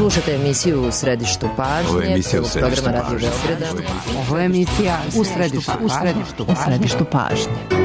Slušate emisiju U središtu pažnje, programa Radio Beograda. Ovo je emisija U središtu pažnje.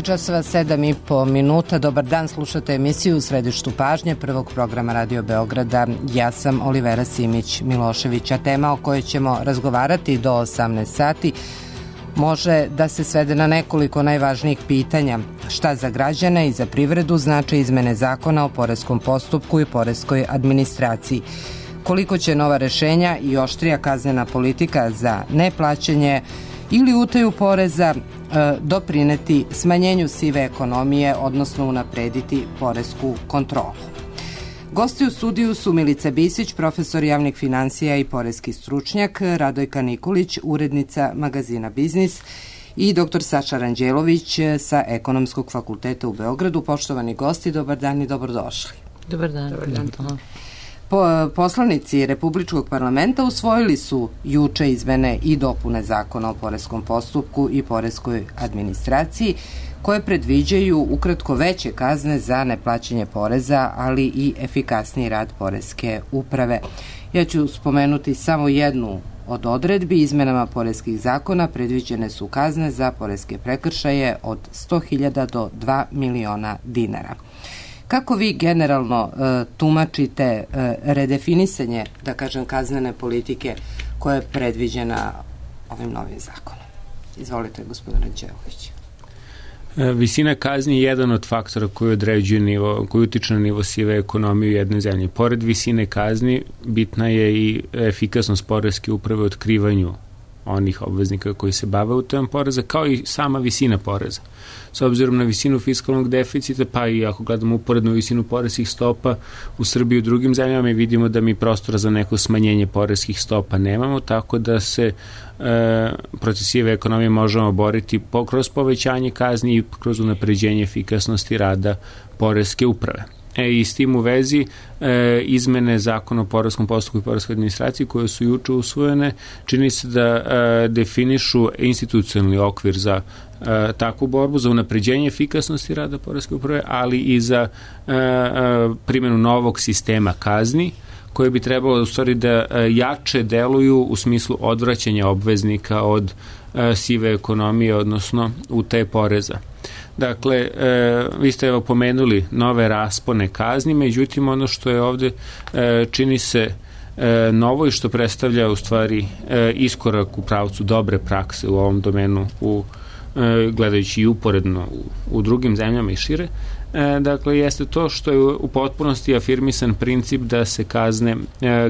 časova 7:30. Dobar dan, slušate emisiju U središtu pažnje prvog programa Radio Beograda. Ja sam Olivera Simić-Milošević, a tema o kojoj ćemo razgovarati do 18 sati može da se svede na nekoliko najvažnijih pitanja. Šta za građane i za privredu znače izmene zakona o poreskom postupku i poreskoj administraciji? Koliko će nova rešenja i oštrija kaznena politika za neplaćanje ili utaju poreza doprineti smanjenju sive ekonomije, odnosno unaprediti poresku kontrolu? Gosti u studiju su Milica Bisić, profesor javnih finansija i poreski stručnjak, Radojka Nikolić, urednica magazina Biznis i dr. Saša Ranđelović sa Ekonomskog fakulteta u Beogradu. Poštovani gosti, dobar dan i dobrodošli. Dobar dan. Dobar dan. Poslanici Republičkog parlamenta usvojili su juče izmene i dopune zakona o poreskom postupku i poreskoj administraciji, koje predviđaju ukratko veće kazne za neplaćanje poreza, ali i efikasniji rad poreske uprave. Ja ću spomenuti samo jednu od odredbi. Izmenama poreskih zakona predviđene su kazne za poreske prekršaje od 100.000 do 2 miliona dinara. Kako vi generalno tumačite redefinisanje, da kažem, kaznene politike koja je predviđena ovim novim zakonom? Izvolite, gospodine Ranđelović. Visina kazni je jedan od faktora koji određuje nivo, koji utiče na nivo sive ekonomije u jednoj zemlji. Pored visine kazni, bitna je i efikasnost poreske uprave u otkrivanju onih obveznika koji se bave utajom poreza, kao i sama visina poreza. S obzirom na visinu fiskalnog deficita, pa i ako gledamo uporednu visinu poreskih stopa u Srbiji i u drugim zemljama, mi vidimo da mi prostora za neko smanjenje poreskih stopa nemamo, tako da se protiv sive ekonomije možemo boriti kroz povećanje kazni i kroz unapređenje efikasnosti rada poreske uprave. I s tim u vezi izmene zakona o poreskom postupku i poreskoj administraciji koje su juče usvojene čini se da definišu institucionalni okvir za takvu borbu, za unapređenje efikasnosti rada poreske uprave, ali i za primjenu novog sistema kazni koje bi trebalo u stvari da jače deluju u smislu odvraćanja obveznika od sive ekonomije, odnosno utaje poreza. Dakle, vi ste evo pomenuli nove raspone kazni, međutim ono što je ovde čini se novo i što predstavlja u stvari iskorak u pravcu dobre prakse u ovom domenu, gledajući i uporedno u drugim zemljama i šire. Dakle, jeste to što je u potpunosti afirmisan princip da se kazne,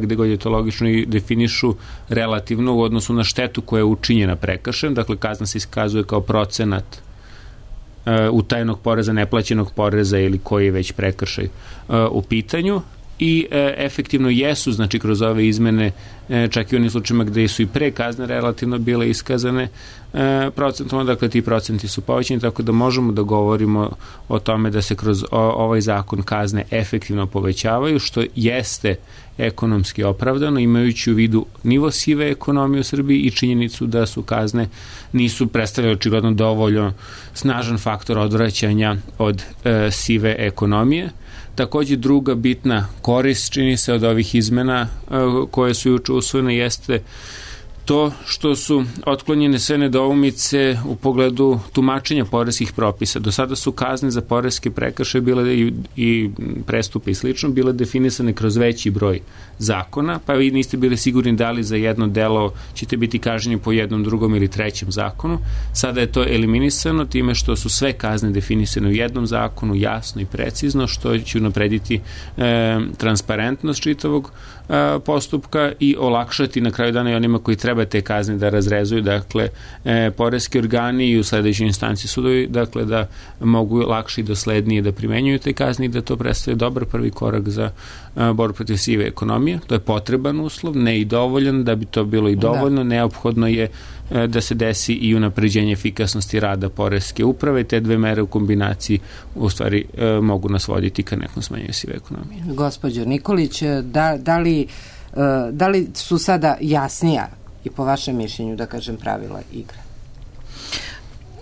gde god je to logično, i definišu relativno u odnosu na štetu koja je učinjena prekršajem. Dakle, kazna se iskazuje kao procenat utajenog poreza, neplaćenog poreza ili koji je već prekršaj u pitanju. I efektivno jesu, znači kroz ove izmene, čak i u onim slučajima gde su i pre kazne relativno bile iskazane procentom, dakle ti procenti su povećani, tako da možemo da govorimo o tome da se kroz ovaj zakon kazne efektivno povećavaju, što jeste ekonomski opravdano, imajući u vidu nivo sive ekonomije u Srbiji i činjenicu da su kazne nisu predstavljale očigledno dovoljno snažan faktor odvraćanja od sive ekonomije. Takođe, druga bitna korist, čini se, od ovih izmena koje su juče usvojene jeste to što su otklonjene sve nedoumice u pogledu tumačenja poreskih propisa. Do sada su kazne za poreske prekršaje bile i prestupe i slično bile definisane kroz veći broj zakona, pa vi niste bili sigurni da li za jedno delo ćete biti kažnjeni po jednom, drugom ili trećem zakonu. Sada je to eliminisano time što su sve kazne definisane u jednom zakonu, jasno i precizno, što će unaprediti transparentnost čitavog postupka i olakšati na kraju dana i onima koji treba te kazne da razrezuju, dakle poreski organi i u sledećoj instanci sudovi, dakle da mogu lakše i doslednije da primenjuju te kazne i da to predstavlja dobar prvi korak za borbu protiv sive ekonomije. To je potreban uslov, ne i dovoljan. Da bi to bilo i dovoljno, neophodno je da se desi i unapređenje efikasnosti rada poreske uprave. Te dve mere u kombinaciji u stvari mogu nas voditi ka nekom smanjenju sive ekonomije. Gospođo Nikolić, da li su sada jasnija i po vašem mišljenju, da kažem, pravila igre?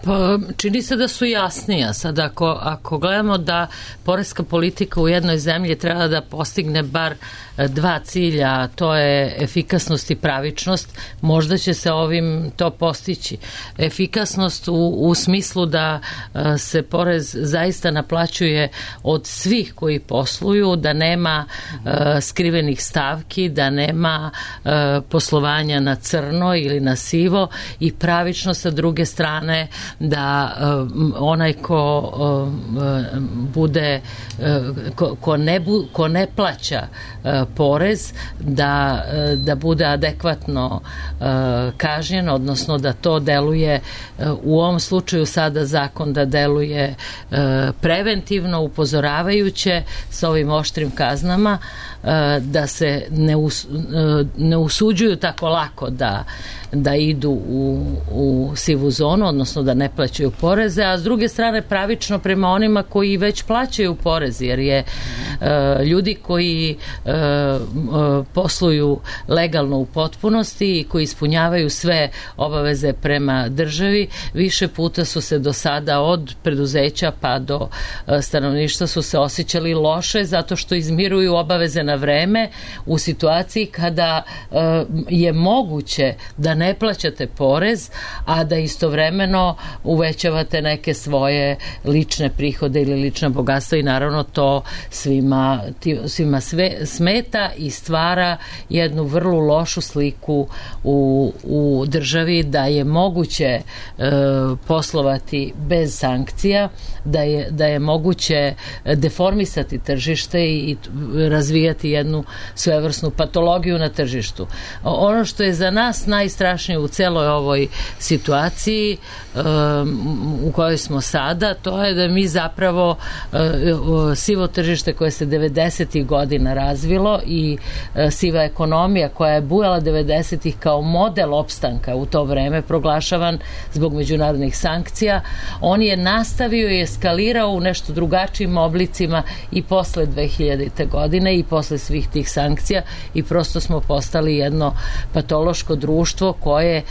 Pa, čini se da su jasnija. Sad ako gledamo da poreska politika u jednoj zemlji treba da postigne bar dva cilja, a to je efikasnost i pravičnost, možda će se ovim to postići. Efikasnost u smislu da se porez zaista naplaćuje od svih koji posluju, da nema skrivenih stavki, da nema poslovanja na crno ili na sivo, i pravičnost sa druge strane da onaj ko ne plaća porez da bude adekvatno kažnjen, odnosno da to deluje, u ovom slučaju sada zakon da deluje preventivno, upozoravajuće sa ovim oštrim kaznama, da se ne usuđuju tako lako da idu u sivu zonu, odnosno da ne plaćaju poreze, a s druge strane pravično prema onima koji već plaćaju porez, jer je ljudi koji posluju legalno u potpunosti i koji ispunjavaju sve obaveze prema državi, više puta su se do sada od preduzeća pa do stanovništva su se osjećali loše zato što izmiruju obaveze na vreme u situaciji kada je moguće da ne plaćate porez, a da istovremeno uvećavate neke svoje lične prihode ili lična bogatstva, i naravno to svima smeta i stvara jednu vrlo lošu sliku u državi, da je moguće poslovati bez sankcija, da je moguće deformisati tržište i razvijati jednu svevrsnu patologiju na tržištu. Ono što je za nas najstrašnije u celoj ovoj situaciji u kojoj smo sada, to je da mi zapravo sivo tržište koje se 90. godina razvilo i siva ekonomija koja je bujala 90. kao model opstanka u to vreme, proglašavan zbog međunarodnih sankcija, on je nastavio i eskalirao u nešto drugačijim oblicima i posle 2000. godine i posle svih tih sankcija, i prosto smo postali jedno patološko društvo koje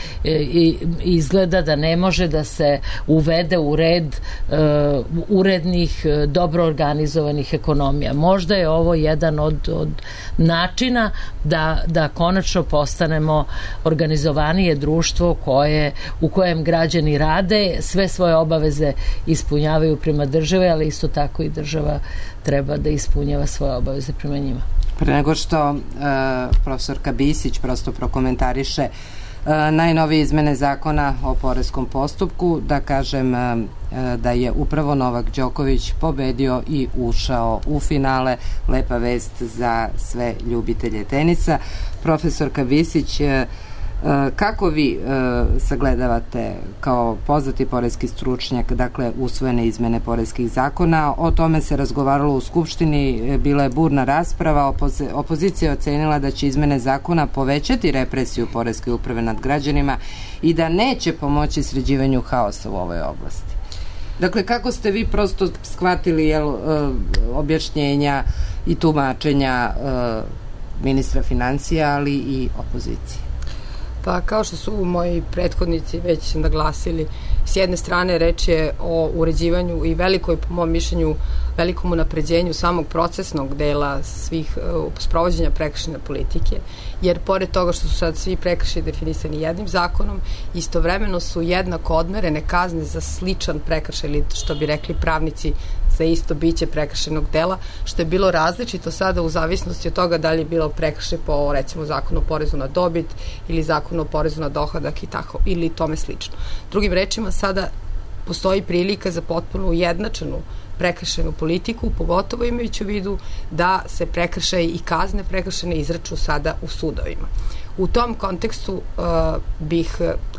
izgleda da ne može da se uvede u red urednih, dobro organizovanih ekonomija. Možda je ovo jedan od načina da konačno postanemo organizovanije društvo u kojem građani rade, sve svoje obaveze ispunjavaju prema državi, ali isto tako i država treba da ispunjava svoje obaveze prema njima. Pre nego što profesorka Bisić prosto prokomentariše najnovije izmene zakona o poreskom postupku, da kažem da je upravo Novak Đoković pobedio i ušao u finale. Lepa vest za sve ljubitelje tenisa. Profesorka Bisić, kako vi sagledavate kao poznati poreski stručnjak, dakle, usvojene izmene poreskih zakona? O tome se razgovaralo u Skupštini, bila je burna rasprava, opozicija je ocenila da će izmene zakona povećati represiju poreske uprave nad građanima i da neće pomoći sređivanju haosa u ovoj oblasti. Dakle, kako ste vi prosto shvatili objašnjenja i tumačenja ministra financija, ali i opozicije? Pa kao što su moji prethodnici već naglasili, s jedne strane reč je o uređivanju i velikoj, po mom mišljenju, velikom unapređenju samog procesnog dela svih sprovođenja prekršajne politike, jer pored toga što su sad svi prekršaji definisani jednim zakonom, istovremeno su jednako odmerene kazne za sličan prekršaj, ili što bi rekli pravnici, za isto biće prekršajnog dela, što je bilo različito sada u zavisnosti od toga da li je bilo prekršaj po, recimo, zakonu o porezu na dobit ili zakonu o porezu na dohodak i tako, ili tome slično. Drugim rečima, sada postoji prilika za potpuno ujednačenu prekršajnu politiku, pogotovo imajući u vidu da se prekršaji i kazne prekršajne izraču sada u sudovima. U tom kontekstu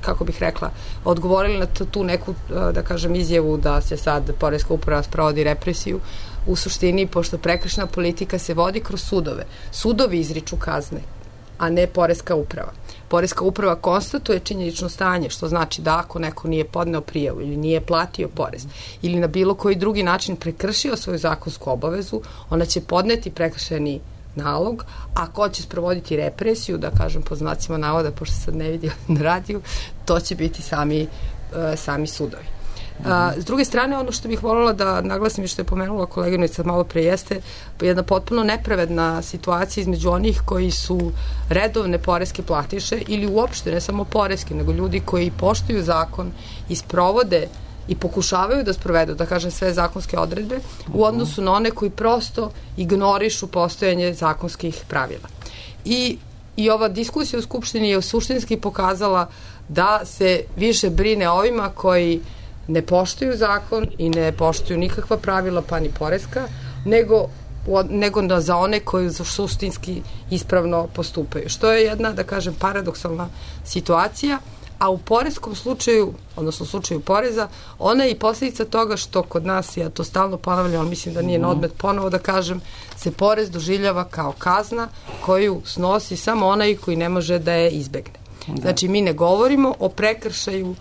kako bih rekla, odgovorili na tu neku, da kažem, izjavu da se sad poreska uprava sprovodi represiju. U suštini, pošto prekršajna politika se vodi kroz sudove, sudovi izriču kazne, a ne poreska uprava. Poreska uprava konstatuje činjenično stanje, što znači da ako neko nije podneo prijavu ili nije platio porez ili na bilo koji drugi način prekršio svoju zakonsku obavezu, ona će podneti prekršajni nalog, a ko će sprovoditi represiju, da kažem po znacima navoda, pošto sad ne vidim na radiju, to će biti sami sudovi. S druge strane, ono što bih voljela da naglasim i što je pomenula koleginica malo pre jeste jedna potpuno nepravedna situacija između onih koji su redovne poreske platiše ili uopšte ne samo poreske, nego ljudi koji poštuju zakon i sprovode i pokušavaju da sprovedu, da kažem, sve zakonske odredbe u odnosu na one koji prosto ignorišu postojanje zakonskih pravila. I ova diskusija u Skupštini je suštinski pokazala da se više brine ovima koji ne poštuju zakon i ne poštuju nikakva pravila, pa ni poreska, nego za one koji suštinski ispravno postupaju. Što je jedna, da kažem, paradoksalna situacija, a u poreskom slučaju, odnosno u slučaju poreza, ona je i posljedica toga što kod nas, ja to stalno ponavljam, ali mislim da nije na odmet ponovo da kažem, se porez doživljava kao kazna koju snosi samo onaj koji ne može da je izbegne. Znači, mi ne govorimo o prekršaju,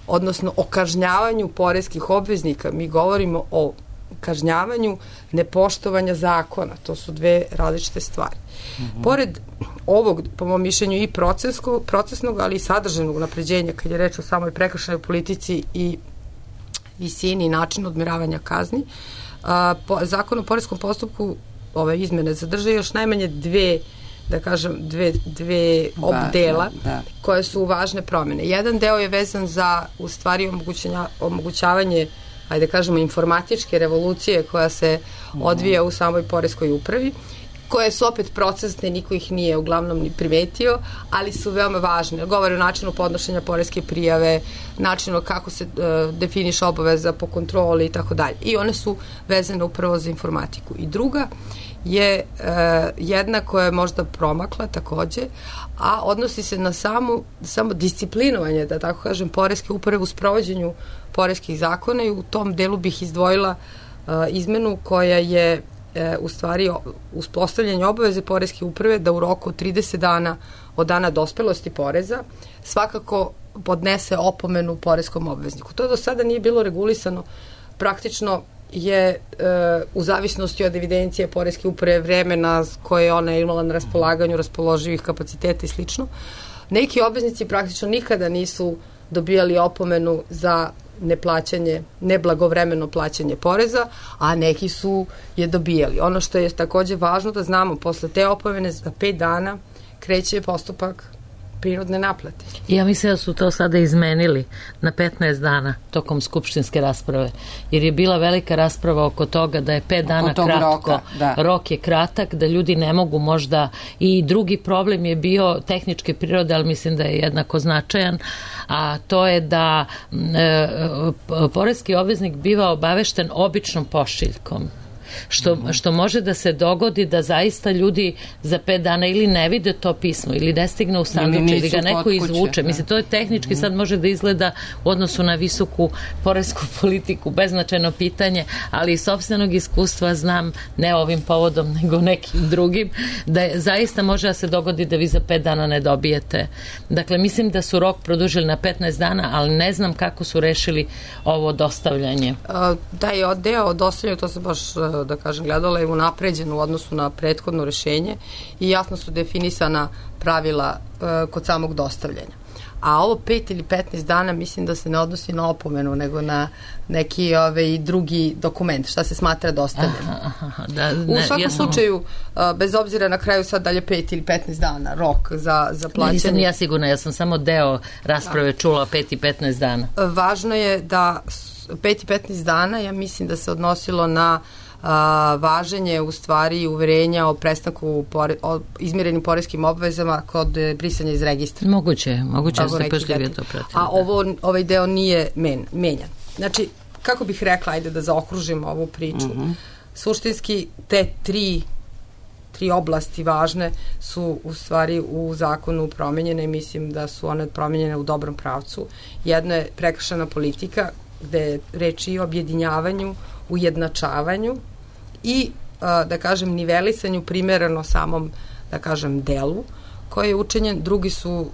odnosno o kažnjavanju poreskih obveznika, mi govorimo o kažnjavanju nepoštovanja zakona. To su dve različite stvari. Pored ovog, po mom mišljenju, i procesnog, ali i sadržajnog unapređenja, kad je reč o samoj prekršajnoj politici i visini i načinu odmeravanja kazni, Zakon o poreskom postupku, ove izmene zadrže još najmanje dve dela koje su važne promene. Jedan deo je vezan za, u stvari, omogućavanje, ajde kažemo, informatičke revolucije koja se odvija u samoj poreskoj upravi, koje su opet procesne, niko ih nije uglavnom ni primetio, ali su veoma važne. Govore o načinu podnošenja poreske prijave, načinu kako se definiše obaveza po kontroli i tako dalje. I one su vezane upravo za informatiku. I druga je jedna koja je možda promakla takođe, a odnosi se na samo disciplinovanje, da tako kažem, poreske uprave u sprovođenju poreskih zakona, i u tom delu bih izdvojila izmenu koja je u stvari uspostavljanje obaveze poreske uprave da u roku od 30 dana od dana dospelosti poreza svakako podnese opomenu poreskom obvezniku. To do sada nije bilo regulisano. Praktično je u zavisnosti od evidencije poreske uprave, vremena koje ona je imala na raspolaganju, raspoloživih kapaciteta i slično, neki obveznici praktično nikada nisu dobijali opomenu za neblagovremeno plaćanje poreza, a neki su je dobijali. Ono što je takođe važno da znamo, posle te opomene za 5 dana kreće postupak prinudne naplate. Ja mislim da su to sada izmenili na 15 dana tokom skupštinske rasprave, jer je bila velika rasprava oko toga da je 5 dana kratko, rok je kratak, da ljudi ne mogu možda, i drugi problem je bio tehničke prirode, ali mislim da je jednako značajan, a to je da poreski obveznik biva obavešten običnom pošiljkom. Što može da se dogodi da zaista ljudi za 5 dana ili ne vide to pismo, ili ne stigne u sanduče, ili ga neko izvuče. Mislim, to je tehnički sad može da izgleda u odnosu na visoku poresku politiku beznačajno pitanje, ali iz sopstvenog iskustva znam, ne ovim povodom, nego nekim drugim, da zaista može da se dogodi da vi za 5 dana ne dobijete. Dakle, mislim da su rok produžili na 15 dana, ali ne znam kako su rešili ovo dostavljanje. Taj deo o dostavljanju, to se baš, da kažem, gledala je unapređen u odnosu na prethodno rešenje i jasno su definisana pravila kod samog dostavljanja. A ovo 5 ili 15 dana mislim da se ne odnosi na opomenu, nego na neki drugi dokument, šta se smatra dostavljenom. U svakom slučaju, bez obzira na kraju sad dalje 5 ili 15 dana rok za plaćanje. Nisam ja sigurna, ja sam samo deo rasprave čula 5 i 15 dana. Važno je da 5 i 15 dana, ja mislim da se odnosilo na važenje u stvari uverenja o prestanku o izmirenim poreskim obvezama kod brisanja iz registra. Moguće da se pažljivije to pratili. A ovaj deo nije menjan. Znači, kako bih rekla, ajde da zaokružimo ovu priču. Suštinski te tri oblasti važne su u stvari u zakonu promenjene i mislim da su one promenjene u dobrom pravcu. Jedno je prekršajna politika, gde je reč i o objedinjavanju, ujednačavanju i, da kažem, nivelisanju primereno samom, da kažem, delu koji je učinjen. Drugi su,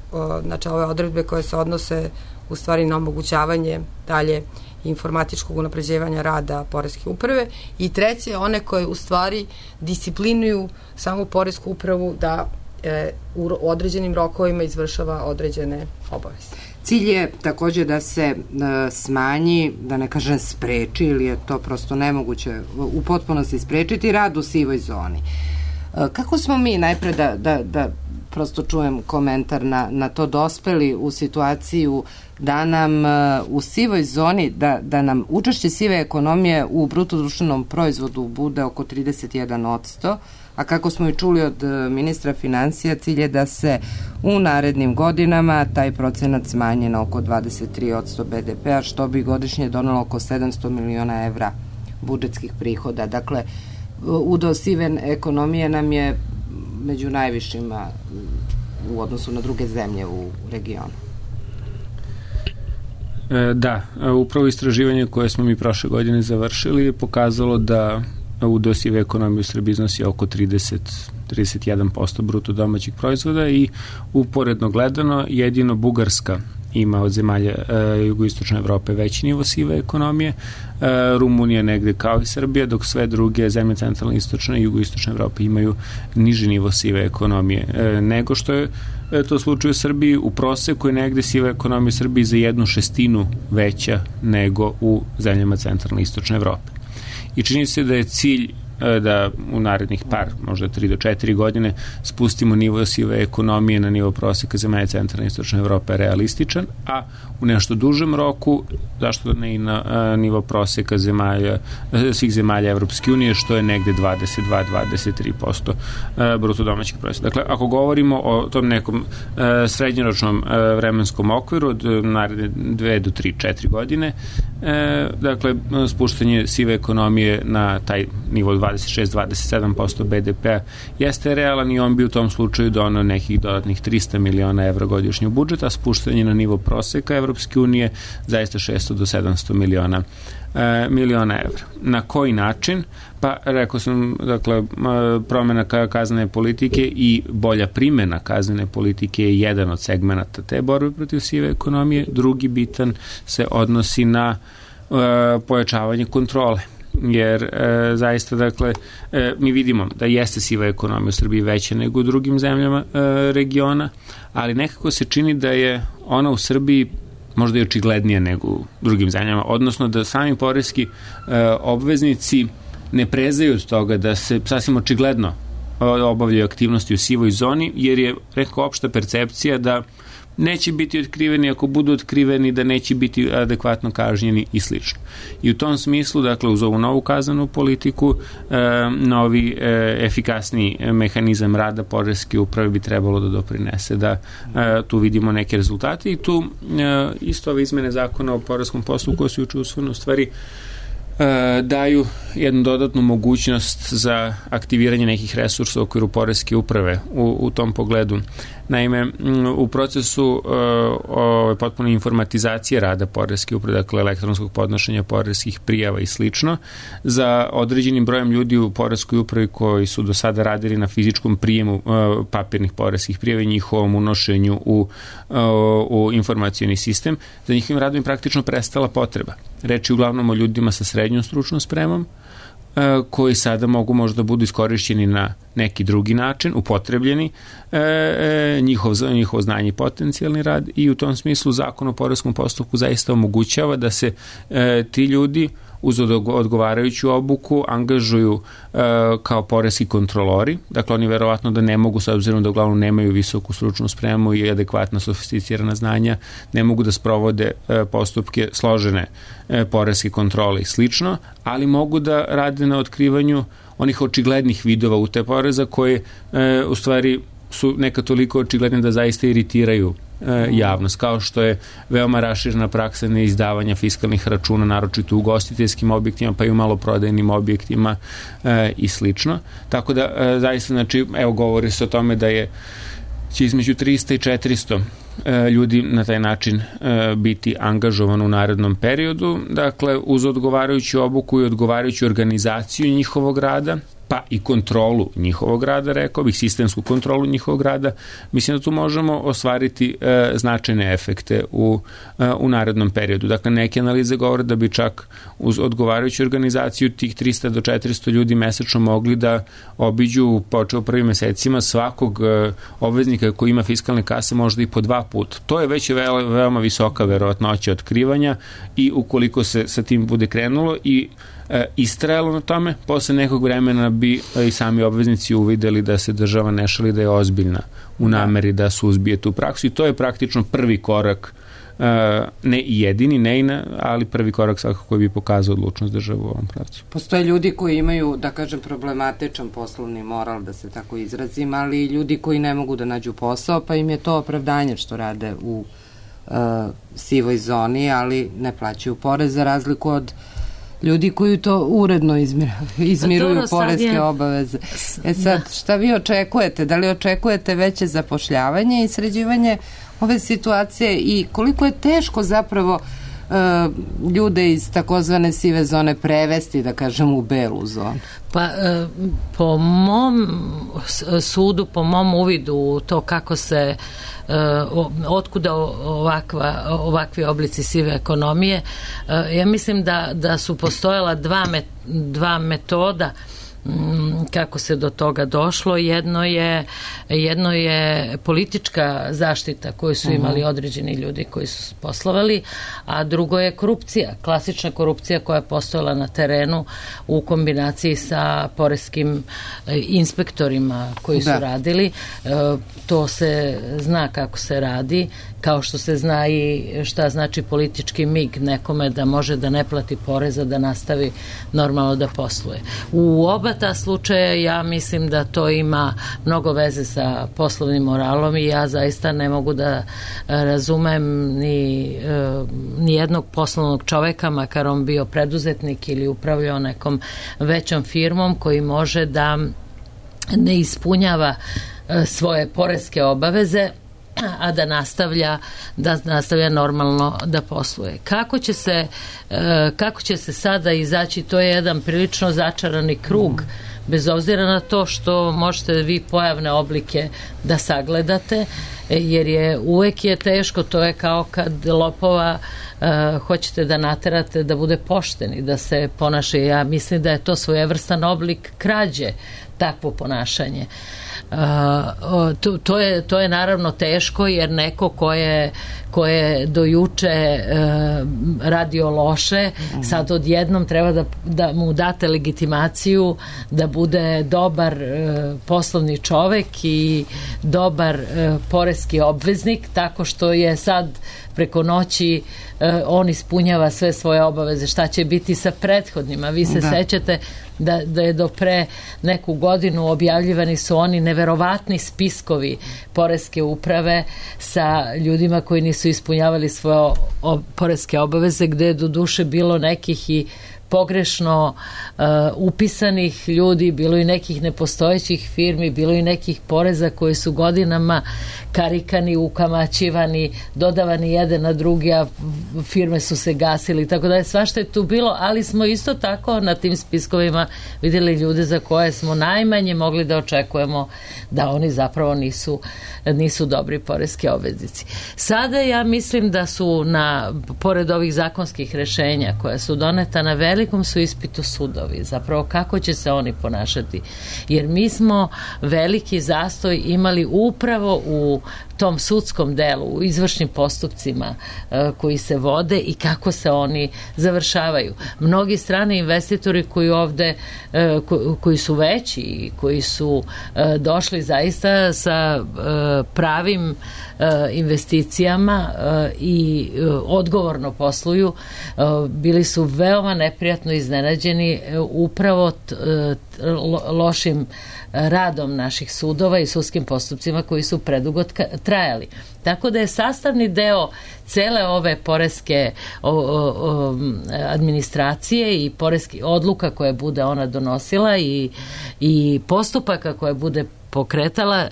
znači, ove odredbe koje se odnose u stvari na omogućavanje dalje informatičkog unapređivanja rada poreske uprave, i treće, one koje u stvari disciplinuju samu poresku upravu da u određenim rokovima izvršava određene obaveze. Cilj je također da se smanji, da ne kažem spreči, ili je to prosto nemoguće u potpunosti sprečiti, rad u sivoj zoni. Kako smo mi, najpre da prosto čujem komentar na to, dospeli u situaciju da nam u sivoj zoni, da nam učešće sive ekonomije u bruto društvenom proizvodu bude oko 31%, a kako smo i čuli od ministra financija, cilj je da se u narednim godinama taj procenat smanji na oko 23% BDP-a, što bi godišnje donelo oko 700 miliona evra budžetskih prihoda. Dakle, udeo sive ekonomije nam je među najvišima u odnosu na druge zemlje u regionu. Da, upravo istraživanje koje smo mi prošle godine završili je pokazalo da udeo sive ekonomije u Srbiji iznosi oko 31% bruto domaćeg proizvoda i uporedno gledano jedino Bugarska ima od zemalja jugoistočne Evrope veći nivo sive ekonomije, Rumunija negde kao i Srbija, dok sve druge zemlje centralne, istočne i jugoistočne Evrope imaju niži nivo sive ekonomije. Nego što je to slučaj u Srbiji, u proseku je negde siva ekonomija u Srbiji za 1/6 veća nego u zemljama centralne i istočne Evrope. I čini se da je cilj da u narednih možda 3 do 4 godine spustimo nivo sive ekonomije na nivo proseka zemalja centralne i istočne Evrope realističan, a u nešto dužem roku, zašto ne i na nivo proseka svih zemalja Evropske unije, što je negde 22-23% bruto domaćeg proizvoda. Dakle, ako govorimo o tom nekom srednjoročnom vremenskom okviru od naredne 2 do 3-4 godine, dakle, spuštanje sive ekonomije na taj nivo 26-27% BDP-a jeste realan i on bi u tom slučaju donao nekih dodatnih 300 miliona evra godišnje u budžet, a spuštanje na nivo proseka Evropske unije zaista 600 do 700 miliona evra. Na koji način? Pa rekao sam, dakle, promena kaznene politike i bolja primjena kaznene politike je jedan od segmenata te borbe protiv sive ekonomije. Drugi bitan se odnosi na pojačavanje kontrole. Jer zaista, dakle, mi vidimo da jeste siva ekonomija u Srbiji veća nego u drugim zemljama regiona, ali nekako se čini da je ona u Srbiji možda i očiglednija nego u drugim zemljama, odnosno da sami poreski obveznici ne prezaju od toga da se sasvim očigledno obavljaju aktivnosti u sivoj zoni, jer je, rekao, opšta percepcija da neće biti otkriveni, ako budu otkriveni da neće biti adekvatno kažnjeni i slično. I u tom smislu, dakle, uz ovu novu kaznenu politiku, novi efikasni mehanizam rada poreske uprave bi trebalo da doprinese da tu vidimo neke rezultate i tu isto ove izmene zakona o poreskom postupku koje su juče usvojene u stvari daju jednu dodatnu mogućnost za aktiviranje nekih resursa u okviru poreske uprave u tom pogledu. Naime, u procesu potpuno informatizacije rada poreske uprave, dakle elektronskog podnošenja poreskih prijava i slično, za određenim brojem ljudi u poreskoj upravi koji su do sada radili na fizičkom prijemu papirnih poreskih prijava i njihovom unošenju u informacioni sistem, za njihovim radom je praktično prestala potreba. Reč je uglavnom o ljudima sa srednjom stručnom spremom, koji sada mogu možda budu iskorišćeni na neki drugi način, upotrebljeni, njihovo znanje i potencijalni rad, i u tom smislu Zakon o poreskom postupku zaista omogućava da se ti ljudi uz odgovarajuću obuku angažuju kao poreski kontrolori. Dakle, oni verovatno da ne mogu, s obzirom da uglavnom nemaju visoku stručnu spremu i adekvatna sofisticirana znanja, ne mogu da sprovode postupke složene poreske kontrole i slično, ali mogu da rade na otkrivanju onih očiglednih vidova utaje poreza koje u stvari su neka toliko očigledne da zaista iritiraju javnost, kao što je veoma raširena praksa neizdavanja fiskalnih računa, naročito u ugostiteljskim objektima, pa i u maloprodajnim objektima i slično. Tako da zaista, znači, evo, govori se o tome da će između 300 i 400 ljudi na taj način biti angažovano u narednom periodu, dakle, uz odgovarajuću obuku i odgovarajuću organizaciju njihovog rada, pa i kontrolu njihovog rada, rekao bih, sistemsku kontrolu njihovog rada. Mislim da tu možemo ostvariti značajne efekte u narednom periodu. Dakle, neke analize govore da bi čak uz odgovarajuću organizaciju tih 300 do 400 ljudi mesečno mogli da obiđu, počeo prvim mesecima, svakog obveznika koji ima fiskalne kase možda i po 2 puta. To je već veoma visoka verovatnoća otkrivanja i ukoliko se sa tim bude krenulo i istrajalo na tome, posle nekog vremena bi i sami obveznici uvideli da se država ne šali, da je ozbiljna u nameri da suzbije tu praksu, i to je praktično prvi korak, ne i jedini, ali prvi korak svakako koji bi pokazao odlučnost države u ovom pravcu. Postoje ljudi koji imaju, da kažem, problematičan poslovni moral, da se tako izrazim, ali i ljudi koji ne mogu da nađu posao, pa im je to opravdanje što rade u sivoj zoni, ali ne plaćaju porez, za razliku od ljudi koji to uredno izmiruju poreske obaveze. Sad, šta vi očekujete? Da li očekujete veće zapošljavanje i sređivanje ove situacije i koliko je teško zapravo ljude iz takozvane sive zone prevesti, da kažem, u belu zonu? Pa, po mom sudu, po mom uvidu to kako se otkuda ovakvi oblici sive ekonomije, ja mislim da su postojala dva metoda kako se do toga došlo. Jedno je politička zaštita koju su imali određeni ljudi koji su poslovali, a drugo je korupcija, klasična korupcija koja je postojala na terenu u kombinaciji sa poreskim inspektorima koji su radili. To se zna kako se radi, kao što se zna i šta znači politički mig nekome da može da ne plati poreza, da nastavi normalno da posluje. U oba ta slučaja ja mislim da to ima mnogo veze sa poslovnim moralom i ja zaista ne mogu da razumem ni jednog poslovnog čoveka, makar on bio preduzetnik ili upravljao nekom većom firmom, koji može da ne ispunjava svoje poreske obaveze, a da nastavlja normalno da posluje. Kako će se sada izaći, to je jedan prilično začarani krug, bez obzira na to što možete vi pojavne oblike da sagledate, jer uvek je teško, to je kao kad lopova hoćete da naterate da bude pošten i da se ponaša. Ja mislim da je to svojevrstan oblik krađe, takvo ponašanje. To je naravno teško, jer neko ko je do juče radio loše, sad odjednom treba da mu date legitimaciju da bude dobar poslovni čovek i dobar poreski obveznik, tako što je sad preko noći on ispunjava sve svoje obaveze. Šta će biti sa prethodnima? Vi se sećate da je do pre neku godinu objavljivani su oni neverovatni spiskovi poreske uprave sa ljudima koji nisu ispunjavali svoje poreske obaveze, gde je do duše bilo nekih i pogrešno upisanih ljudi, bilo i nekih nepostojećih firmi, bilo i nekih poreza koji su godinama karikani, ukamaćivani, dodavani jedan na drugi, a firme su se gasili, tako da je svašta je tu bilo, ali smo isto tako na tim spiskovima vidjeli ljude za koje smo najmanje mogli da očekujemo da oni zapravo nisu dobri poreski obveznici. Sada ja mislim da su pored ovih zakonskih rešenja koja su doneta, na velikom su ispitu sudovi, zapravo kako će se oni ponašati, jer mi smo veliki zastoj imali upravo u tom sudskom delu, u izvršnim postupcima koji se vode i kako se oni završavaju. Mnogi strani investitori koji ovde, koji su veći i koji su došli zaista sa pravim investicijama i odgovorno posluju, bili su veoma neprijatno iznenađeni upravo lošim radom naših sudova i sudskim postupcima koji su predugo trajali. Tako da je sastavni deo cele ove poreske administracije i poreski odluka koje bude ona donosila i postupaka koje bude pokretala,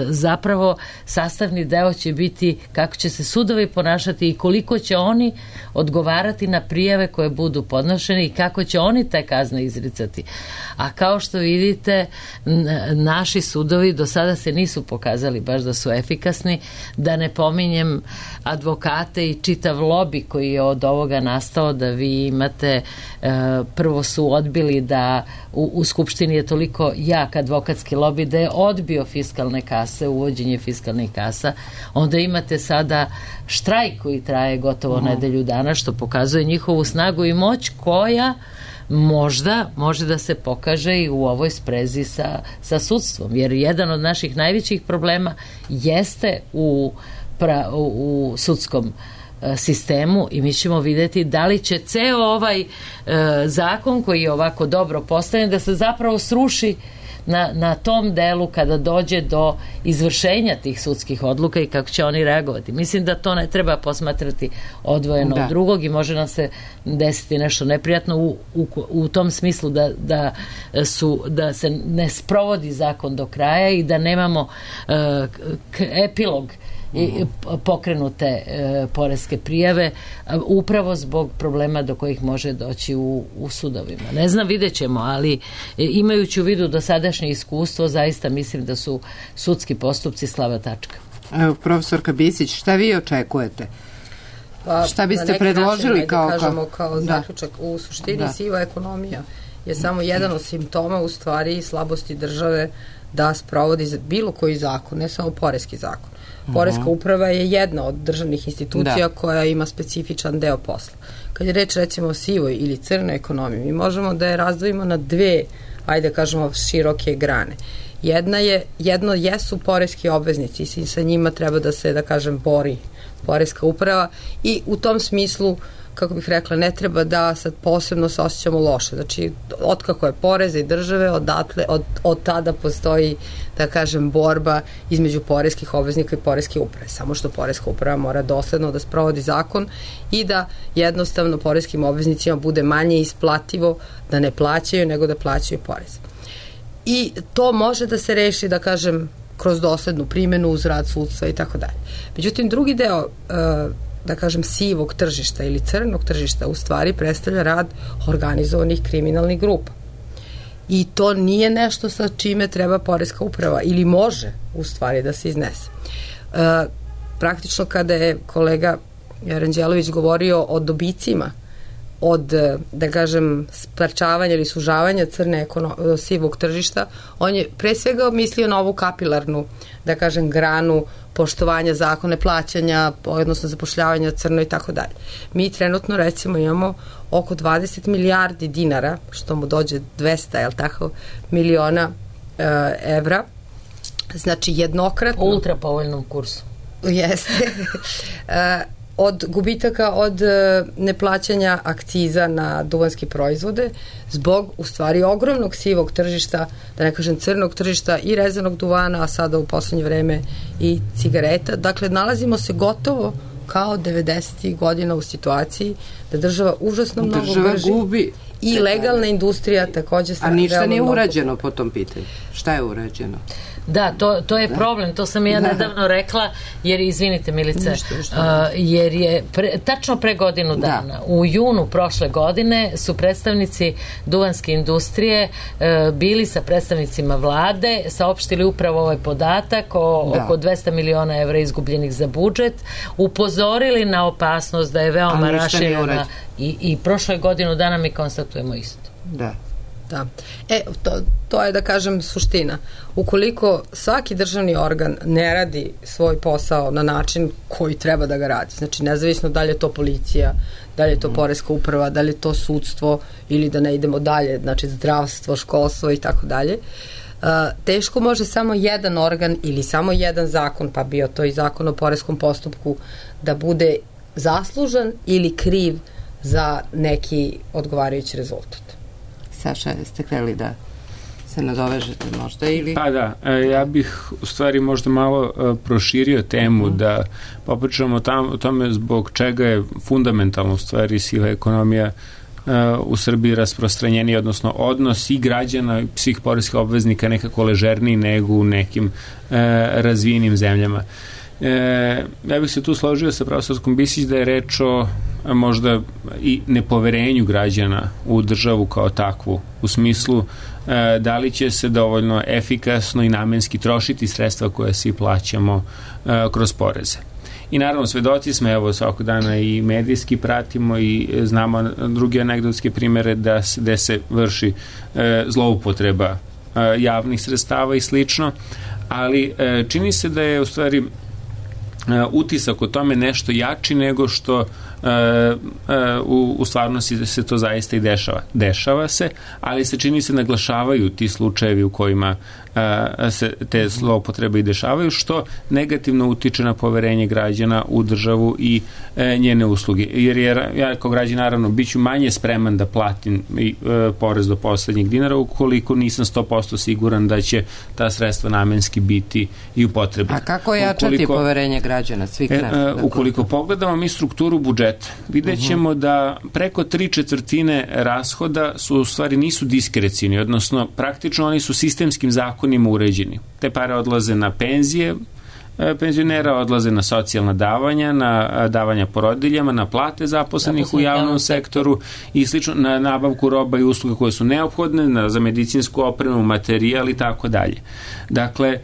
zapravo sastavni deo će biti kako će se sudovi ponašati i koliko će oni odgovarati na prijave koje budu podnošene i kako će oni te kazne izricati. A kao što vidite, naši sudovi do sada se nisu pokazali baš da su efikasni, da ne pominjem advokate i čitav lobi koji je od ovoga nastao, da vi imate, prvo su odbili da u Skupštini je toliko jak advokatski lobi da je odbio fiskalne kase, uvođenje fiskalnih kasa, onda imate sada štrajk koji traje gotovo nedelju dana, što pokazuje njihovu snagu i moć koja možda može da se pokaže i u ovoj sprezi sa sudstvom, jer jedan od naših najvećih problema jeste u sudskom sistemu i mi ćemo vidjeti da li će ceo ovaj zakon koji je ovako dobro postavljen da se zapravo sruši na tom delu kada dođe do izvršenja tih sudskih odluka i kako će oni reagovati. Mislim da to ne treba posmatrati odvojeno od drugog i može nam se desiti nešto neprijatno u tom smislu da se ne sprovodi zakon do kraja i da nemamo epilog i pokrenute poreske prijave upravo zbog problema do kojih može doći u sudovima. Ne znam, vidjet ćemo, ali imajući u vidu dosadašnje iskustvo, zaista mislim da su sudski postupci slaba tačka. Evo, profesorka Bisić, šta vi očekujete? Šta biste predložili kao zaključak? U suštini siva ekonomija je samo jedan od simptoma u stvari slabosti države da sprovodi bilo koji zakon, ne samo poreski zakon. Poreska uprava je jedna od državnih institucija koja ima specifičan deo posla. Kad je reč recimo o sivoj ili crnoj ekonomiji, mi možemo da je razdvojimo na dve, ajde kažemo, široke grane. Jedno jesu poreski obveznici i sa njima treba da se, da kažem, bori poreska uprava i u tom smislu, kako bih rekla, ne treba da sad posebno se osjećamo loše. Znači, otkako je poreza i države, od tada postoji, da kažem, borba između poreskih obveznika i poreske uprave. Samo što poreska uprava mora dosledno da sprovodi zakon i da jednostavno poreskim obveznicima bude manje isplativo da ne plaćaju nego da plaćaju porez. I to može da se reši, da kažem, kroz doslednu primjenu uz rad sudstva i tako dalje. Međutim, drugi deo da kažem, sivog tržišta ili crnog tržišta u stvari predstavlja rad organizovanih kriminalnih grupa. I to nije nešto sa čime treba poreska uprava ili može u stvari da se iznese. Praktično kada je kolega Ranđelović govorio o dobicima od, da kažem, sprečavanja ili sužavanja sivog tržišta, on je pre svega mislio na ovu kapilarnu, da kažem, granu poštovanja zakone plaćanja, odnosno zapošljavanja crno i tako dalje. Mi trenutno recimo imamo oko 20 milijardi dinara, što mu dođe 200, jel tako, miliona evra, znači jednokratno. U ultra povoljnom kursu. Jeste. Od gubitaka od neplaćanja akciza na duvanske proizvode zbog u stvari ogromnog sivog tržišta, da ne kažem crnog tržišta i rezanog duvana, a sada u poslednje vreme i cigareta. Dakle, nalazimo se gotovo kao 90. godina u situaciji da država užasno mnogo gubi i legalna industrija takođe. A ništa nije urađeno po tom pitanju. Šta je urađeno? Da, to je problem, to sam ja nedavno rekla, jer, izvinite Milice, jer je tačno pre godinu dana, u junu prošle godine su predstavnici duvanske industrije bili sa predstavnicima vlade, saopštili upravo ovaj podatak o oko 200 miliona evra izgubljenih za budžet, upozorili na opasnost da je veoma raširena i prošle godinu dana mi konstatujemo isto. Da. Da. To je, da kažem, suština. Ukoliko svaki državni organ ne radi svoj posao na način koji treba da ga radi, znači nezavisno da li je to policija, da li je to poreska uprava, da li je to sudstvo ili da ne idemo dalje, znači zdravstvo, školstvo i tako dalje, teško može samo jedan organ ili samo jedan zakon, pa bio to i zakon o poreskom postupku, da bude zaslužan ili kriv za neki odgovarajući rezultat. Saša, jeste hteli da se nadovežete možda ili... Pa da, ja bih u stvari možda malo proširio temu da popričamo o tome zbog čega je fundamentalno u stvari siva ekonomija u Srbiji rasprostranjeni, odnosno odnos i građana i svih poreskih obveznika nekako ležerniji nego u nekim razvijenim zemljama. Ja bih se tu složio sa profesorskom Bisić da je reč o možda i nepoverenju građana u državu kao takvu, u smislu da li će se dovoljno efikasno i namenski trošiti sredstva koje svi plaćamo kroz poreze. I naravno svedoci smo, evo svakog dana i medijski pratimo i znamo druge anegdotske primere gde se vrši zloupotreba javnih sredstava i slično, ali čini se da je u stvari utisak o tome nešto jači nego što u stvarnosti se to zaista i dešava. Dešava se, ali se čini se naglašavaju ti slučajevi u kojima se te zloupotrebe i dešavaju, što negativno utiče na poverenje građana u državu i njene usluge. Jer ja kao građan naravno biću manje spreman da platim porez do poslednjeg dinara ukoliko nisam 100% siguran da će ta sredstva namenski biti i upotrebljena. A kako jačati poverenje građana svih nas? Ukoliko pogledamo mi strukturu budžeta, vidjet ćemo da preko 3/4 rashoda su u stvari nisu diskrecijni, odnosno praktično oni su sistemskim zakonima uređeni. Te pare odlaze na penzije penzionera, odlaze na socijalna davanja, na davanja porodiljama, na plate zaposlenih u javnom sektoru i slično, na nabavku roba i usluga koje su neophodne, za medicinsku opremu, materijal i tako dalje. Dakle,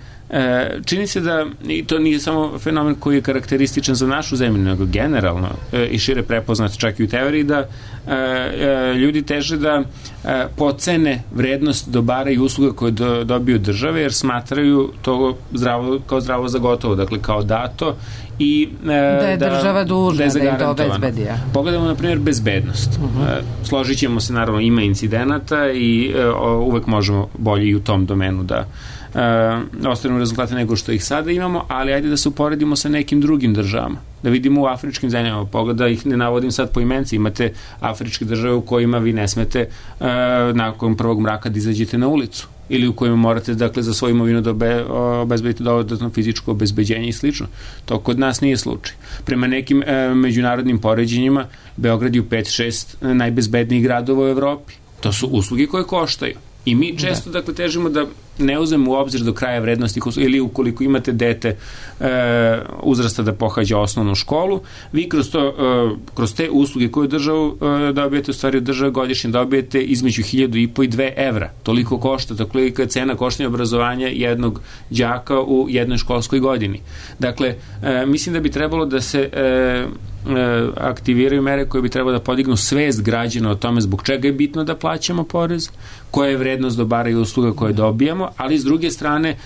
čini se da, i to nije samo fenomen koji je karakterističan za našu zemlju, nego generalno i šire prepoznat čak i u teoriji, da ljudi teže da pocene vrednost dobara i usluga koje dobiju države, jer smatraju to kao zdravo za gotovo, dakle kao dato i da je država dužna da im to obezbedi. Pogledamo na primjer bezbednost. Složit ćemo se, naravno ima incidenata i uvek možemo bolje i u tom domenu da ostavimo rezultate nego što ih sada imamo, ali ajde da se uporedimo sa nekim drugim državama, da vidimo u afričkim zemljama, da ih ne navodim sad po imenci, imate afričke države u kojima vi ne smete nakon prvog mraka da izađete na ulicu, ili u kojima morate, dakle, za svoju imovinu da obezbedite dodatno fizičko obezbeđenje i slično. To kod nas nije slučaj. Prema nekim međunarodnim poređenjima, Beograd je u 5-6 najbezbednijih gradova u Evropi. To su usluge koje koštaju. I mi često, dakle, težimo da ne uzmemo u obzir do kraja vrednosti ili ukoliko imate dete uzrasta da pohađa osnovnu školu, vi kroz te usluge koje državu dobijete, u stvari od države godišnje dobijete između 1.500 i 2 evra. Toliko košta, toliko je cena koštanja obrazovanja jednog đaka u jednoj školskoj godini. Dakle, mislim da bi trebalo da se aktiviraju mere koje bi trebalo da podignu svest građana o tome zbog čega je bitno da plaćamo porez, koja je vrednost dobara i usluga koje dobijamo, ali s druge strane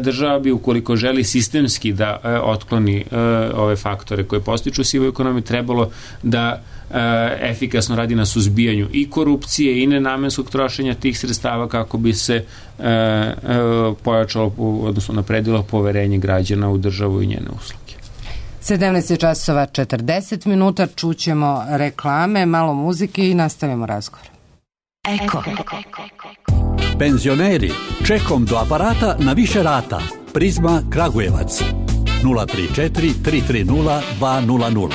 država bi, ukoliko želi sistemski da otkloni ove faktore koje postiču sivu ekonomiju, trebalo da efikasno radi na suzbijanju i korupcije i nenamenskog trošenja tih sredstava kako bi se pojačalo, odnosno napredilo poverenje građana u državu i njene usluge. 17:40, čućemo reklame, malo muzike i nastavimo razgovor. Eko. Penzioneri, čekom do aparata na više rata. Prizma Kragujevac 034 330 200.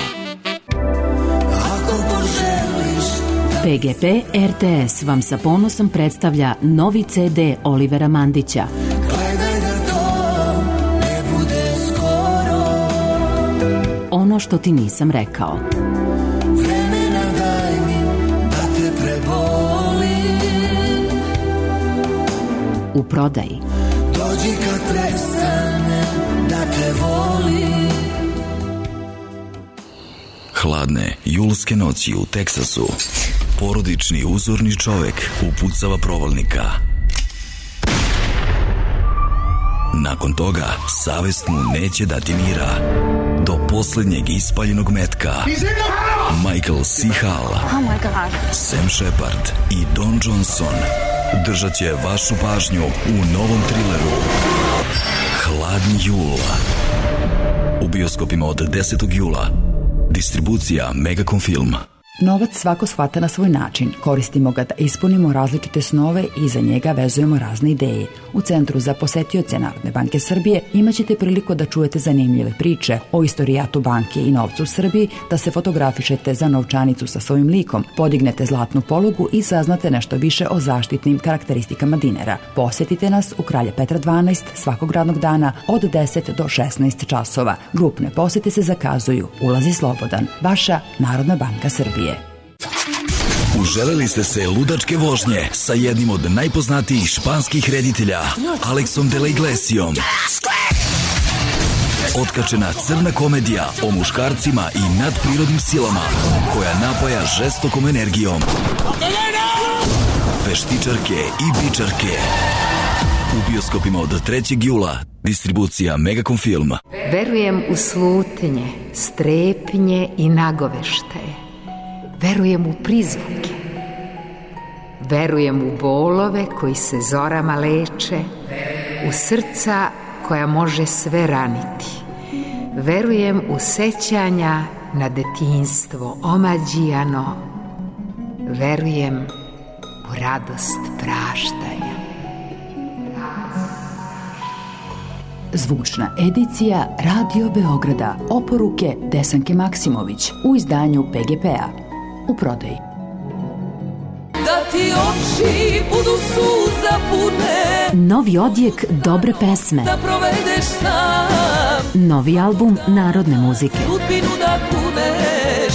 PGP RTS vam sa ponosom predstavlja novi CD Olivera Mandića. Ono što ti nisam rekao. Vremena daj mi da te prebolim. U prodaji. Dođi kad prestane da te volim. Hladne julske noći u Teksasu. Porodični uzorni čovek upucava provalnika. Nakon toga savest mu neće dati mira. Do poslednjeg ispaljenog metka Michael C. Hall, Sam Shepard i Don Johnson držat će vašu pažnju u novom trileru Hladni jul. U bioskopima od 10. jula. Distribucija Megacom Film. Novac svako shvata na svoj način. Koristimo ga da ispunimo različite snove i za njega vezujemo razne ideje. U Centru za posetioce Narodne banke Srbije imaćete priliku da čujete zanimljive priče o istorijatu banke i novcu u Srbiji, da se fotografišete za novčanicu sa svojim likom, podignete zlatnu polugu i saznate nešto više o zaštitnim karakteristikama dinara. Posetite nas u Kralja Petra 12 svakog radnog dana od 10 do 16 časova. Grupne posete se zakazuju. Ulaz je slobodan. Vaša Narodna banka Srbije. Uželeli ste se ludačke vožnje sa jednim od najpoznatijih španskih reditelja, Alexom de la Iglesiom. Otkačena crna komedija o muškarcima i nadprirodnim silama koja napaja žestokom energijom. Veštičarke i bičarke. U bioskopima od 3. jula. Distribucija Megacom Film. Verujem u slutnje, strepnje i nagoveštaje. Verujem u prizvuke. Verujem u bolove koji se zorama leče, u srca koja može sve raniti. Verujem u sećanja na detinjstvo omađijano. Verujem u radost praštanja. Zvučna edicija Radio Beograda. Oporuke Desanke Maksimović u izdanju PGP-a. U prodaji. Da ti oči budu suza pune. Novi odjek dobre pesme. Da provedeš sam. Novi album narodne muzike. Sudbinu da kuneš.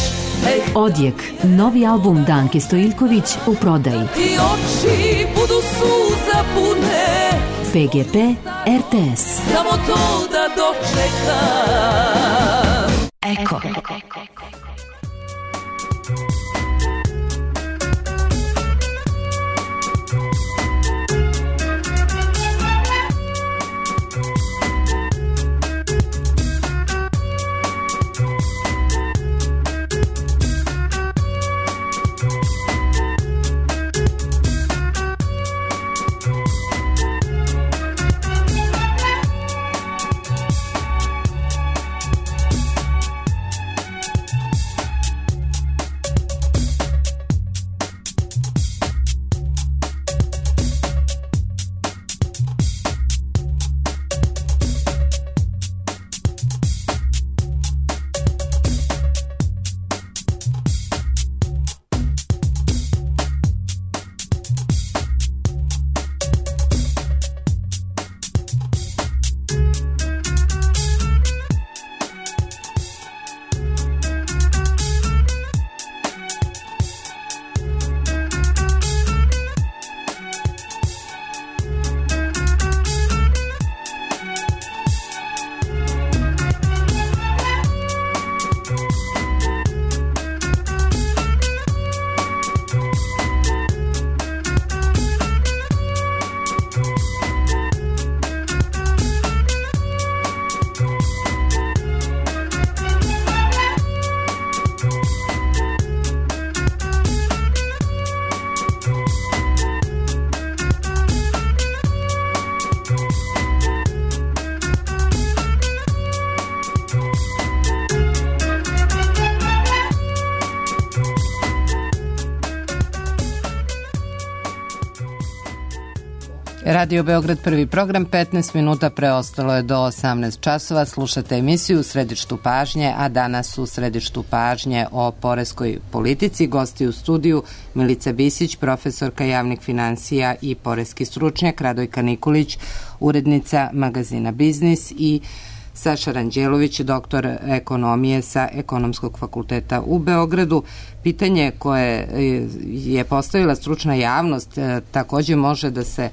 Odjek, novi album Danke Stojiljković u prodaji. Ti oči budu suza pune. PGP RTS. Samo to da dočekam. Eko. Radio Beograd, prvi program, 15 minuta preostalo je do 18 časova. Slušate emisiju u središtu pažnje, a danas u središtu pažnje o poreskoj politici. Gosti u studiju Milica Bisić, profesorka javnih finansija i poreski stručnjak, Radojka Nikolić, urednica magazina Biznis i Saša Ranđelović, doktor ekonomije sa Ekonomskog fakulteta u Beogradu. Pitanje koje je postavila stručna javnost takođe može da se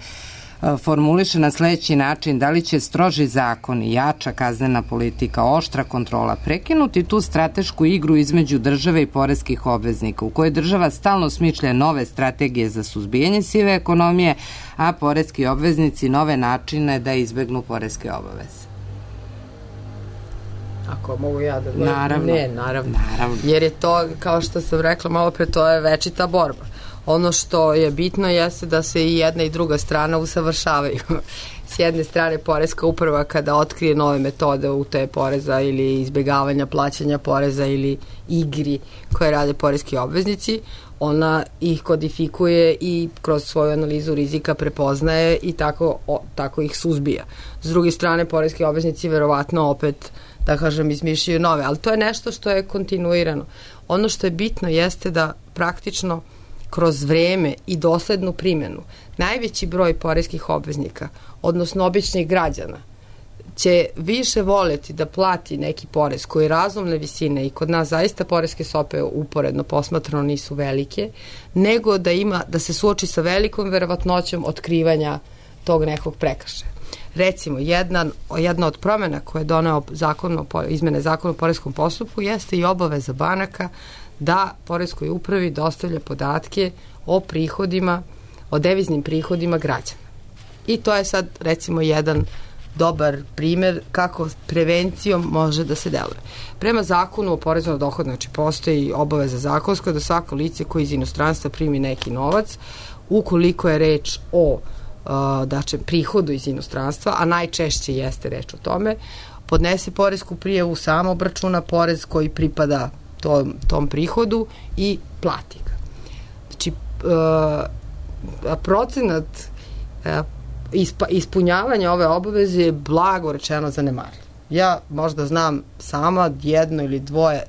formuliše na sledeći način: da li će stroži zakon, jača kaznena politika, oštra kontrola prekinuti tu stratešku igru između države i poreskih obveznika, u kojoj država stalno smišlja nove strategije za suzbijanje sive ekonomije, a poreski obveznici nove načine da izbegnu poreske obaveze? Ako mogu ja da... Naravno. Ne, naravno. Jer je to, kao što sam rekla malo pre, to je večita borba. Ono što je bitno jeste da se i jedna i druga strana usavršavaju. S jedne strane, poreska uprava kada otkrije nove metode utaje poreza ili izbjegavanja plaćanja poreza ili igri koje rade poreski obveznici, ona ih kodifikuje i kroz svoju analizu rizika prepoznaje i tako ih suzbija. S druge strane, poreski obveznici verovatno opet, da kažem, izmišljaju nove, ali to je nešto što je kontinuirano. Ono što je bitno jeste da praktično kroz vreme i doslednu primjenu najveći broj poreskih obveznika, odnosno običnih građana, će više voleti da plati neki porez koji je razumne visine, i kod nas zaista poreske stope uporedno posmatrano nisu velike, nego da se suoči sa velikom verovatnoćom otkrivanja tog nekog prekršaja. Recimo, jedna od promjena koje je doneo izmene zakona o poreskom postupku jeste i obaveza banaka da poreskoj upravi dostavlja podatke o prihodima, o deviznim prihodima građana. I to je sad, recimo, jedan dobar primjer kako prevencijom može da se deluje. Prema zakonu o porezu na dohodak, znači postoji obaveza zakonska da svako lice koji iz inostranstva primi neki novac, ukoliko je reč o prihodu iz inostranstva, a najčešće jeste reč o tome, podnese poresku prijavu, sam obračuna porez koji pripada tom prihodu i plati ga. Znači, procenat ispunjavanja ove obaveze je blago rečeno zanemarljiv. Ja možda znam sama jedno ili dvoje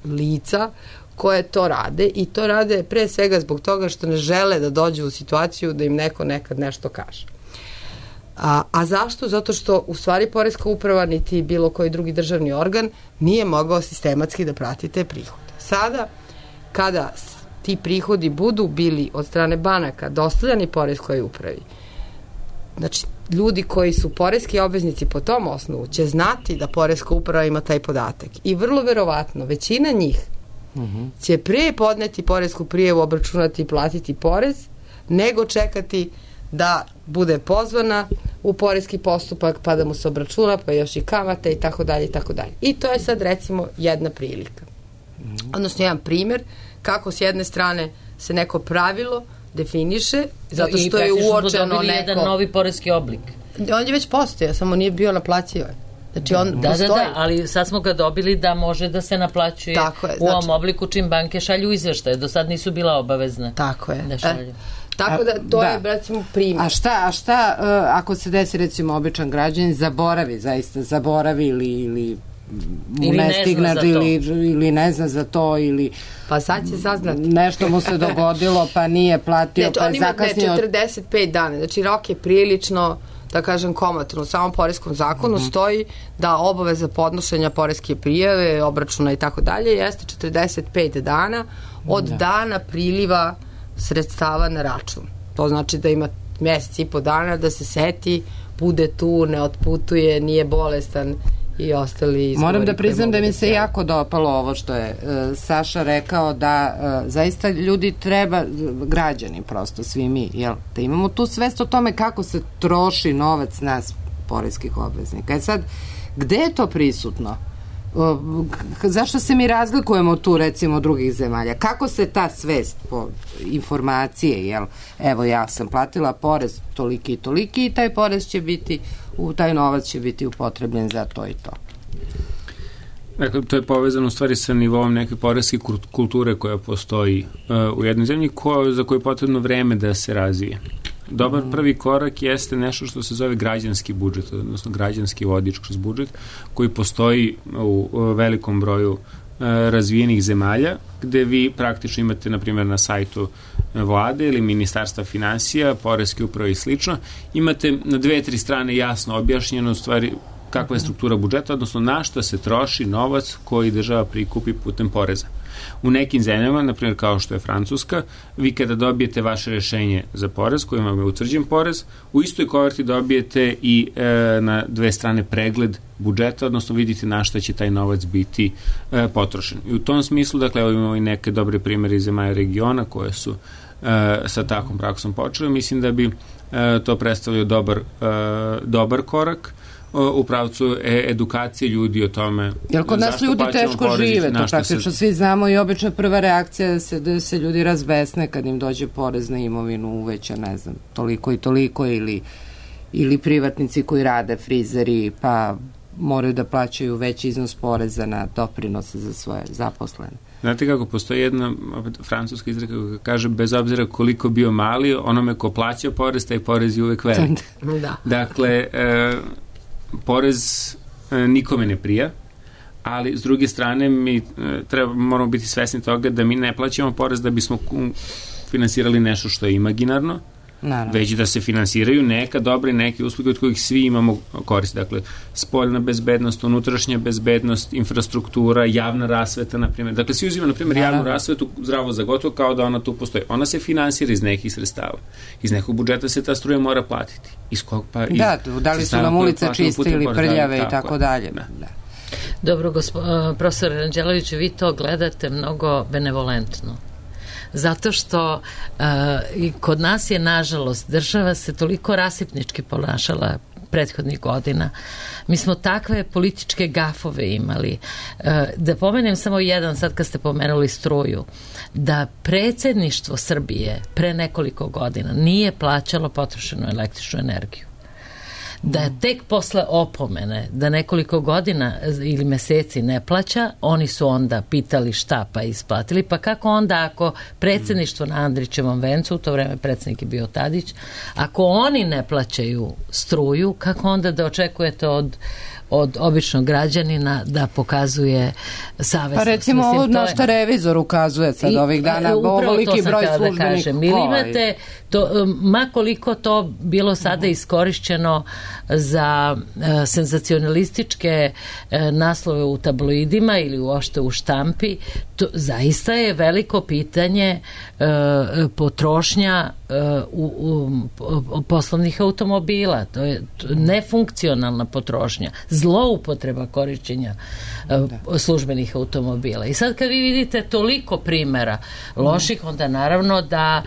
lica koje to rade, i to rade pre svega zbog toga što ne žele da dođu u situaciju da im neko nekad nešto kaže. A zašto? Zato što u stvari poreska uprava niti bilo koji drugi državni organ nije mogao sistematski da prati te prihode. Sada, kada ti prihodi budu bili od strane banaka dostavljani poreskoj upravi, znači ljudi koji su poreski obveznici po tom osnovu će znati da poreska uprava ima taj podatak i vrlo verovatno većina njih će pre podneti poresku prijavu, obračunati i platiti porez, nego čekati da bude pozvana u poreski postupak, pa da mu se obračuna, pa još i kamate i tako dalje i tako dalje. I to je sad, recimo, jedna prilika. Odnosno, jedan primjer kako s jedne strane se neko pravilo definiše, zato što je uočeno neko... jedan novi poreski oblik. On je već postojao, samo nije bio naplaćivan. Znači on postoji. Da, ali sad smo ga dobili da može da se naplaćuje u ovom obliku čim banke šalju izveštaje. Do sad nisu bila obavezne. Tako je. Da šalju. Tako da to je, recimo, primjer. A šta ako se desi, recimo, običan građanin zaboravi ili ne stigne ili ne zna za to, ili pa sad će saznati. Nešto mu se dogodilo pa nije platio, pa je zakasnio. 45 dana, znači rok je prilično, da kažem, komatno. U samom poreskom zakonu stoji da obaveza podnošenja poreske prijave, obračuna i tako dalje jeste 45 dana od dana priliva sredstava na račun. To znači da ima mjesec i po dana da se seti, bude tu, ne otputuje, nije bolestan i ostali izgovori. Moram da priznam da mi se jako dopalo ovo što je Saša rekao, da zaista ljudi treba, građani prosto, svi mi, da imamo tu svest o tome kako se troši novac nas poreskih obveznika. Sad, gde je to prisutno? Zašto se mi razlikujemo tu, recimo, od drugih zemalja? Kako se ta svest po informacije, evo, ja sam platila porez toliki i toliki i taj porez će biti, taj novac će biti upotrebljen za to i to. Dakle, to je povezano u stvari sa nivom neke poreske kulture koja postoji u jednoj zemlji za koju je potrebno vreme da se razvije. Dobar prvi korak jeste nešto što se zove građanski budžet, odnosno građanski vodič kroz budžet, koji postoji u velikom broju razvijenih zemalja, gde vi praktično imate, na primjer, na sajtu vlade ili ministarstva finansija, poreske uprave i slično, imate na 2-3 strane jasno objašnjeno u stvari kakva je struktura budžeta, odnosno na šta se troši novac koji država prikupi putem poreza. U nekim zemljama, na primjer kao što je Francuska, vi kada dobijete vaše rešenje za porez, kojim vam je utvrđen porez, u istoj koverti dobijete i na 2 strane pregled budžeta, odnosno vidite na šta će taj novac biti potrošen. I u tom smislu, dakle, evo imamo i neke dobre primere iz zemalja regiona koje su sa takvom praksom počeli. Mislim da bi to predstavljao dobar korak u pravcu edukacije ljudi o tome. Jer kod nas ljudi teško žive, to praktično svi znamo i obično prva reakcija da se ljudi razbesne kad im dođe porez na imovinu uveća, ne znam, toliko i toliko, ili privatnici koji rade, frizeri, pa moraju da plaćaju veći iznos poreza na doprinose za svoje zaposlene. Znate kako, postoji jedna francuska izreka koja kaže, bez obzira koliko bio mali, onome ko plaća porez, taj porez je uvek velik. Da. Dakle, porez nikome ne prija, ali s druge strane mi moramo biti svesni toga da mi ne plaćamo porez da bismo finansirali nešto što je imaginarno, već da se finansiraju neka dobra i neke usluge od kojih svi imamo korist. Dakle, spoljna bezbednost, unutrašnja bezbednost, infrastruktura, javna rasveta, na primjer. Dakle, svi uzimaju, na primjer, javnu rasvetu zdravo za gotovo kao da ona tu postoji. Ona se finansira iz nekih sredstava. Iz nekog budžeta se ta struja mora platiti. Iz kog pa? Da li su nam ulice čiste ili prljave i tako dalje. Dobro, profesor Ranđelović, vi to gledate mnogo benevolentno. Zato što i kod nas je, nažalost, država se toliko rasipnički ponašala prethodnih godina. Mi smo takve političke gafove imali. Da pomenem samo jedan, sad kad ste pomenuli struju, da predsjedništvo Srbije pre nekoliko godina nije plaćalo potrošenu električnu energiju. Da tek posle opomene da nekoliko godina ili meseci ne plaća, oni su onda pitali šta, pa isplatili, pa kako onda ako predsjedništvo na Andrićevom vencu, u to vreme predsjednik je bio Tadić, ako oni ne plaćaju struju, kako onda da očekujete od običnog građanina da pokazuje savesnost? Pa recimo ovo na što revizor ukazuje sad ovih dana, ovoliki broj službenih. Ili imate, ma koliko to bilo sada iskorišćeno za senzacionalističke naslove u tabloidima ili uopšte u štampi, to zaista je veliko pitanje potrošnja poslovnih automobila. To je nefunkcionalna potrošnja, zloupotreba korišćenja službenih automobila. I sad kad vi vidite toliko primera loših, onda naravno da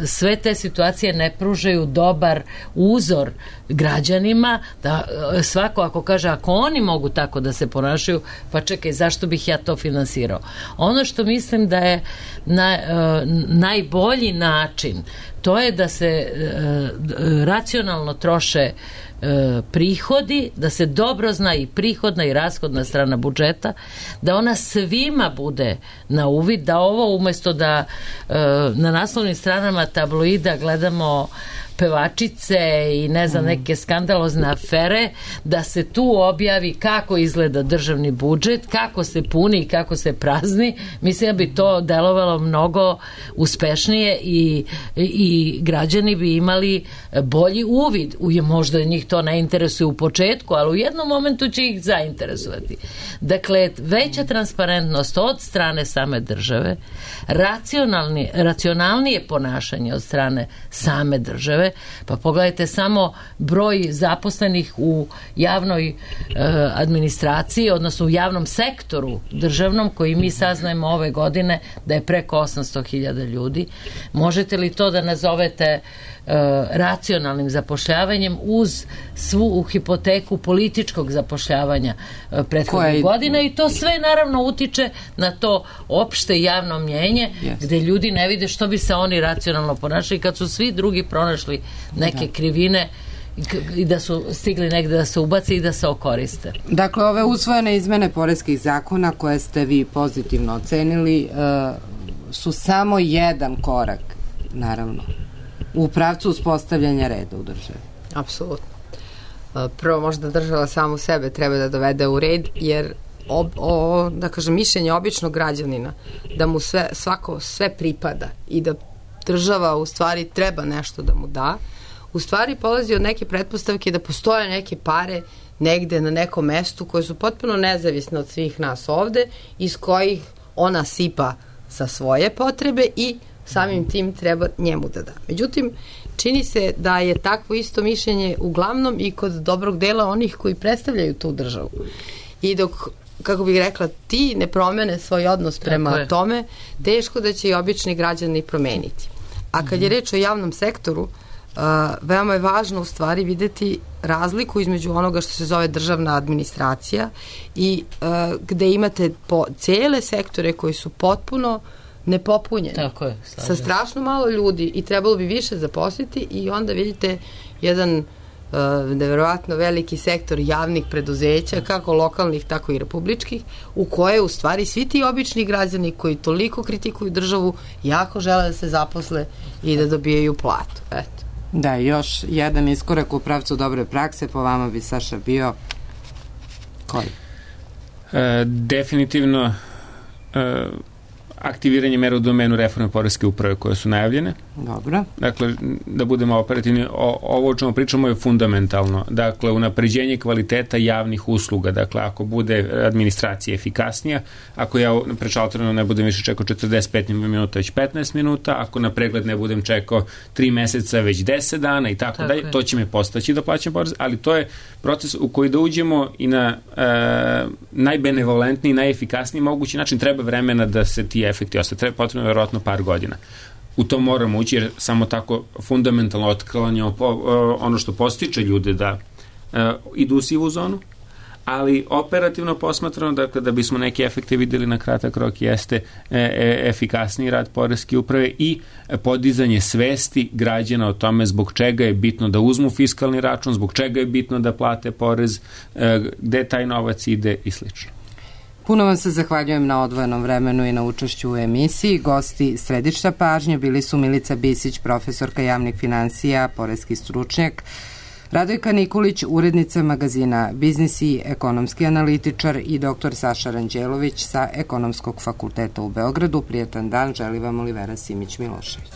sve te situacije ne pružaju dobar uzor građanima, da svako ako kaže, ako oni mogu tako da se ponašaju, pa čekaj, zašto bih ja to finansirao? Ono što mislim da je najbolji način, to je da se racionalno troše prihodi, da se dobro zna i prihodna i rashodna strana budžeta, da ona svima bude na uvid, da ovo umjesto da na naslovnim stranama tabloida gledamo pevačice i ne znam neke skandalozne afere, da se tu objavi kako izgleda državni budžet, kako se puni i kako se prazni. Mislim da bi to delovalo mnogo uspešnije i građani bi imali bolji uvid. Možda njih to ne interesuje u početku, ali u jednom momentu će ih zainteresovati. Dakle, veća transparentnost od strane same države, racionalnije ponašanje od strane same države. Pa pogledajte samo broj zaposlenih u javnoj administraciji, odnosno u javnom sektoru državnom, koji mi saznajemo ove godine da je preko 800.000 ljudi. Možete li to da nazovete racionalnim zapošljavanjem uz svu hipoteku političkog zapošljavanja prethodnih godina, i to sve naravno utiče na to opšte javno mnjenje, gde ljudi ne vide što bi se oni racionalno ponašali kad su svi drugi pronašli neke krivine i da su stigli negde da se ubaci i da se okoriste. Dakle, ove usvojene izmene poreskih zakona koje ste vi pozitivno ocenili su samo jedan korak, naravno, u pravcu uspostavljanja reda u državi? Apsolutno. Prvo možda država samu sebe treba da dovede u red, jer da kažem, mišljenje običnog građanina da mu sve pripada i da država u stvari treba nešto da mu da, u stvari polazi od neke pretpostavke da postoje neke pare negde na nekom mestu koje su potpuno nezavisne od svih nas ovde, iz kojih ona sipa sa svoje potrebe i samim tim treba njemu da da. Međutim, čini se da je takvo isto mišljenje uglavnom i kod dobrog dela onih koji predstavljaju tu državu. I dok, kako bih rekla, ti ne promene svoj odnos prema tome, teško da će i obični građani promeniti. A kad je reč o javnom sektoru, veoma je važno u stvari videti razliku između onoga što se zove državna administracija i gde imate cele sektore koji su potpuno nepopunjeni. Tako je, sa strašno malo ljudi i trebalo bi više zaposliti i onda vidite jedan neverovatno veliki sektor javnih preduzeća, kako lokalnih, tako i republičkih, u koje u stvari svi ti obični građani koji toliko kritikuju državu jako žele da se zaposle i da dobijaju platu. Eto. Da, još jedan iskorak u pravcu dobre prakse po vama bi, Saša, bio koji? Definitivno aktiviranje mera u domenu reforme poreske uprave koje su najavljene. Dobro. Dakle, da budemo operativni, ovo o čemu pričamo je fundamentalno. Dakle, unapređenje kvaliteta javnih usluga. Dakle, ako bude administracija efikasnija, ako ja na šalteru ne budem više čekao 45 minuta, već 15 minuta, ako na pregled ne budem čekao 3 meseca, već 10 dana i tako dalje, to će me postaći da plaćam porez, ali to je proces u koji da uđemo i na najbenevolentniji, najefikasniji mogući način. Treba vremena da se ti efekti ostaju. Treba potrebno verovatno par godina. U to moramo ući jer samo tako fundamentalno otklanjamo ono što postiče ljude da idu u sivu zonu, ali operativno posmatrano, dakle, da bismo neke efekte videli na kratak rok jeste efikasniji rad poreske uprave i podizanje svesti građana o tome zbog čega je bitno da uzmu fiskalni račun, zbog čega je bitno da plate porez, gde taj novac ide i slično. Puno vam se zahvaljujem na odvojenom vremenu i na učešću u emisiji. Gosti središta pažnje bili su Milica Bisić, profesorka javnih finansija, poreski stručnjak, Radojka Nikolić, urednica magazina Biznis i ekonomski analitičar i dr. Saša Ranđelović sa Ekonomskog fakulteta u Beogradu. Prijatan dan, želi vam Olivera Simić Milošević.